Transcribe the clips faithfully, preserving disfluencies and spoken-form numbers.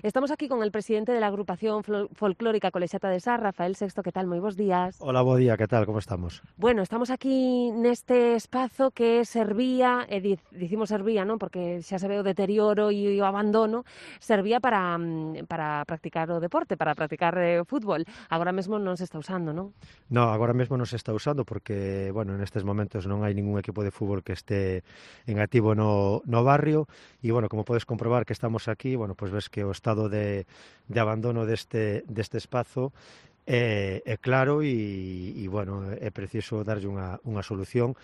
Estamos aquí con el presidente de la agrupación Fol- folclórica Colexiata de Sá, Rafael Sexto. Que tal? Moi bons días. Hola, bo día, que tal, como estamos? Bueno, estamos aquí neste espazo que servía, e dic, dicimos servía, non? Porque xa se ve o deterioro e o abandono, servía para, mm, para practicar o deporte, para practicar eh, fútbol. Agora mesmo non se está usando, non? No, agora mesmo non se está usando porque, bueno, nestes momentos non hai ningún equipo de fútbol que este en activo no, no barrio e, bueno, como podes comprobar que estamos aquí, bueno, pois ves que o estado de, de abandono deste, deste espazo é, é claro e, e, bueno, é preciso darlle unha, unha solución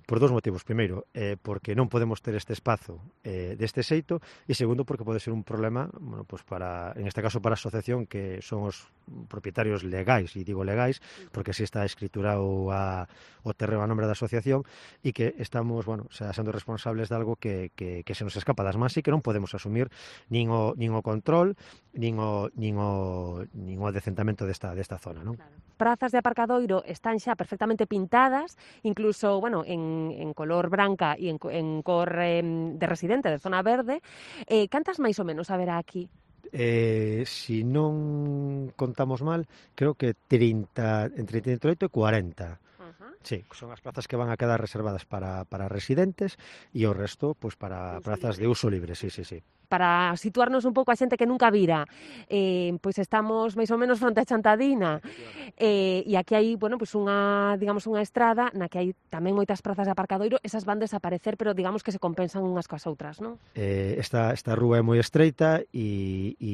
por dous motivos. Primeiro, eh, porque non podemos ter este espazo eh, deste xeito, e segundo, porque pode ser un problema, bueno, pues para, en este caso para a asociación, que son os propietarios legais, e digo legais, porque así está escriturado a, o terreno a nombre da asociación, e que estamos, bueno, xa sendo responsables de algo que, que, que se nos escapa das mans e que non podemos asumir nin o, nin o control, nin o, nin o, nin o decentamento desta, desta zona, non? Claro. Prazas de aparcadoiro están xa perfectamente pintadas, incluso, bueno, en, en color branca e en, co- en cor eh, de residente de zona verde. Eh, cantas máis ou menos haberá aquí? Eh, si non contamos mal, creo que trinta, entre trinta e oito e cuarenta. Ajá. Sí, son as plazas que van a quedar reservadas para, para residentes e o resto, pois, De para uso plazas libre. de uso libre, sí, sí, sí. Para situarnos un pouco a xente que nunca vira, eh, pois estamos máis ou menos fronte a Chantadina, Efectivamente. eh, e aquí hai, bueno, pois unha, digamos, unha estrada na que hai tamén moitas prazas de aparcadoiro. Esas van desaparecer, pero digamos que se compensan unhas coas outras, non? Eh, esta, esta rúa é moi estreita e, e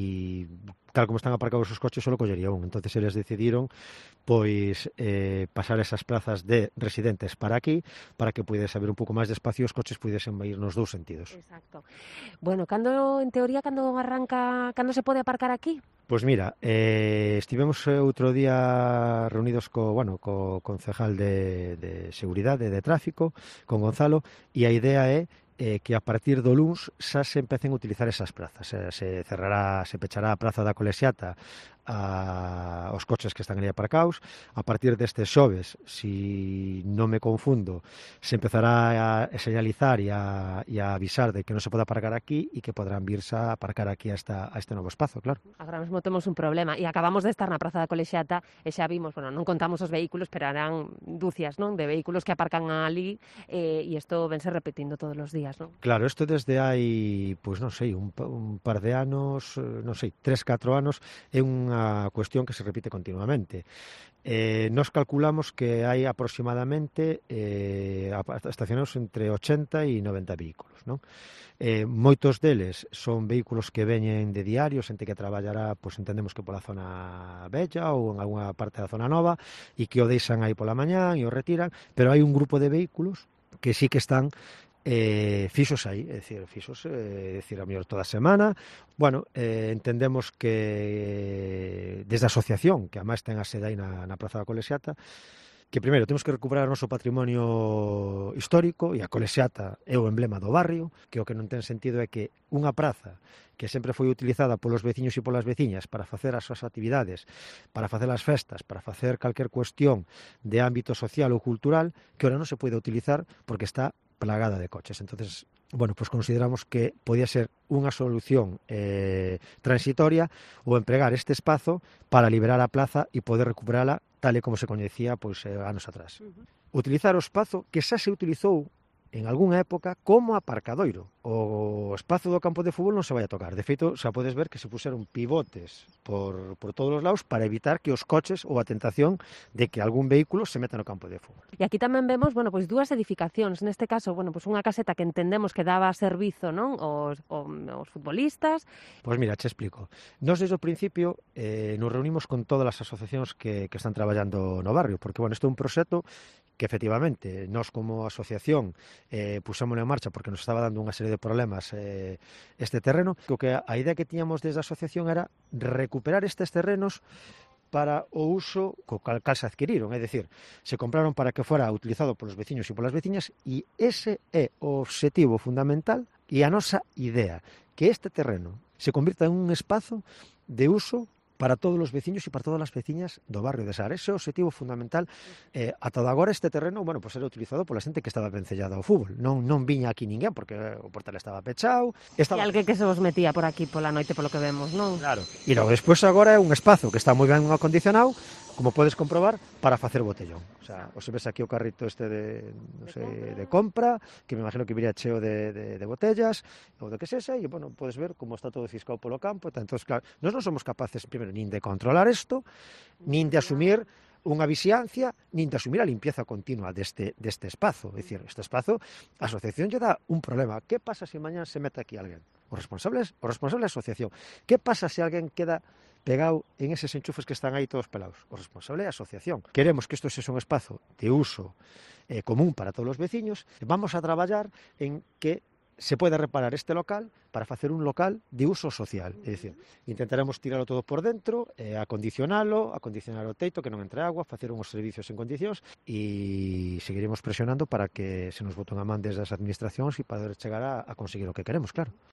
tal como están aparcados os coches só collería un, entonces eles decidiron pois eh, pasar esas plazas de residentes para aquí, para que pudese haber un pouco máis de espacio e os coches pudesen ir nos dous sentidos. Exacto. Bueno, cando, en teoría, cando arranca, cando se pode aparcar aquí? Pois mira, eh, estivemos eh, outro día reunidos co, bueno, co concejal de, de Seguridade de Tráfico, con Gonzalo, e a idea é eh, que a partir do luns xa se empecen a utilizar esas prazas. Eh, se cerrará, se pechará a praza da Colexiata a, os coches que están ali aparcados. A partir deste xoves, si non me confundo, se empezará a señalizar e a, e a avisar de que non se pode aparcar aquí e que podrán virse a aparcar aquí a, esta, a este novo espazo, claro. Agora mesmo temos un problema e acabamos de estar na Praza da Colexiata e xa vimos, bueno, non contamos os vehículos, pero harán dúcias, non, de vehículos que aparcan ali, eh, e isto vense repetindo todos os días, non? Claro, isto desde hai, pois non sei, un, pa- un par de anos, eh, non sei, tres, catro anos, é unha cuestión que se repite continuamente. Eh, nos calculamos que hai aproximadamente eh, apa- estacionados entre ochenta e noventa vehículos, non? Eh, moitos deles son vehículos que veñen de diario, xente que traballará, pois entendemos que pola zona bella ou en algunha parte da zona nova, e que o deixan aí pola mañán e o retiran, pero hai un grupo de vehículos que sí que están eh, fixos aí, é dicir, fixos, eh, é dicir, a mellor toda a semana. Bueno, eh, entendemos que desde a asociación, que además ten a sede aí na, na Praza da Colexiata, que primeiro temos que recuperar o noso patrimonio histórico, e a Colexiata é o emblema do barrio, que o que non ten sentido é que unha praza que sempre foi utilizada polos veciños e polas veciñas para facer as súas actividades, para facer as festas, para facer calquer cuestión de ámbito social ou cultural, que ahora non se pode utilizar porque está plagada de coches. Entonces, bueno, pues consideramos que podía ser unha solución eh, transitoria o empregar este espazo para liberar a plaza e poder recuperala tal e como se coñecía pois eh, anos atrás. Uh -huh. Utilizar o espazo que xa se utilizou en algunha época como aparcadoiro. O espazo do campo de fútbol non se vai a tocar. De feito, xa podes ver que se puseron pivotes por, por todos os lados para evitar que os coches ou a tentación de que algún vehículo se meta no campo de fútbol. E aquí tamén vemos, bueno, pois dúas edificacións, neste caso, bueno, pois unha caseta que entendemos que daba servizo, non, aos, aos futbolistas. Pois mira, che explico. Nos desde o principio eh, nos reunimos con todas as asociacións que, que están traballando no barrio, porque, bueno, isto é un proxecto que efectivamente nós como asociación eh, pusémoslo en marcha porque nos estaba dando unha serie de problemas eh, este terreno, que que a idea que tiñamos desde a asociación era recuperar estes terrenos para o uso co cal, cal se adquiriron, é dicir, se compraron para que fora utilizado polos veciños e polas veciñas, e ese é o obxectivo fundamental e a nosa idea, que este terreno se convirta en un espazo de uso para todos os veciños e para todas as veciñas do barrio de Sar. Ese é o objetivo fundamental. Eh, ata agora este terreno, bueno, pues era utilizado pola xente que estaba vencellada ao fútbol. Non non viña aquí ninguén porque o portal estaba pechado. Estaba... E alguén que se vos metía por aquí pola noite polo que vemos, non? Claro. E logo despois agora é un espazo que está moi ben acondicionado, como podes comprobar, para facer botellón. O sea, os ves aquí o carrito este de, non sei, de compra, que me imagino que viría cheo de, de, de botellas, ou do que sexa, e, bueno, podes ver como está todo fiscado polo campo. Entón, claro, nós non somos capaces, primeiro, nin de controlar isto, nin de asumir unha vixiancia, nin de asumir a limpieza continua deste, deste espazo. É dicir, este espazo, a asociación lle dá un problema. Que pasa se mañán se mete aquí alguén? O responsable, o responsable é a asociación. Que pasa se alguén queda pegado en eses enchufes que están aí todos pelados? O responsable é a asociación. Queremos que isto sexa un espazo de uso eh, común para todos os veciños. Vamos a traballar en que se pode reparar este local para facer un local de uso social. É dicir, intentaremos tiralo todo por dentro, eh, acondicionalo, acondicionar o teito, que non entre agua, facer uns servicios en condicións e seguiremos presionando para que se nos boten a man desde as administracións e para chegar a, a conseguir o que queremos, claro.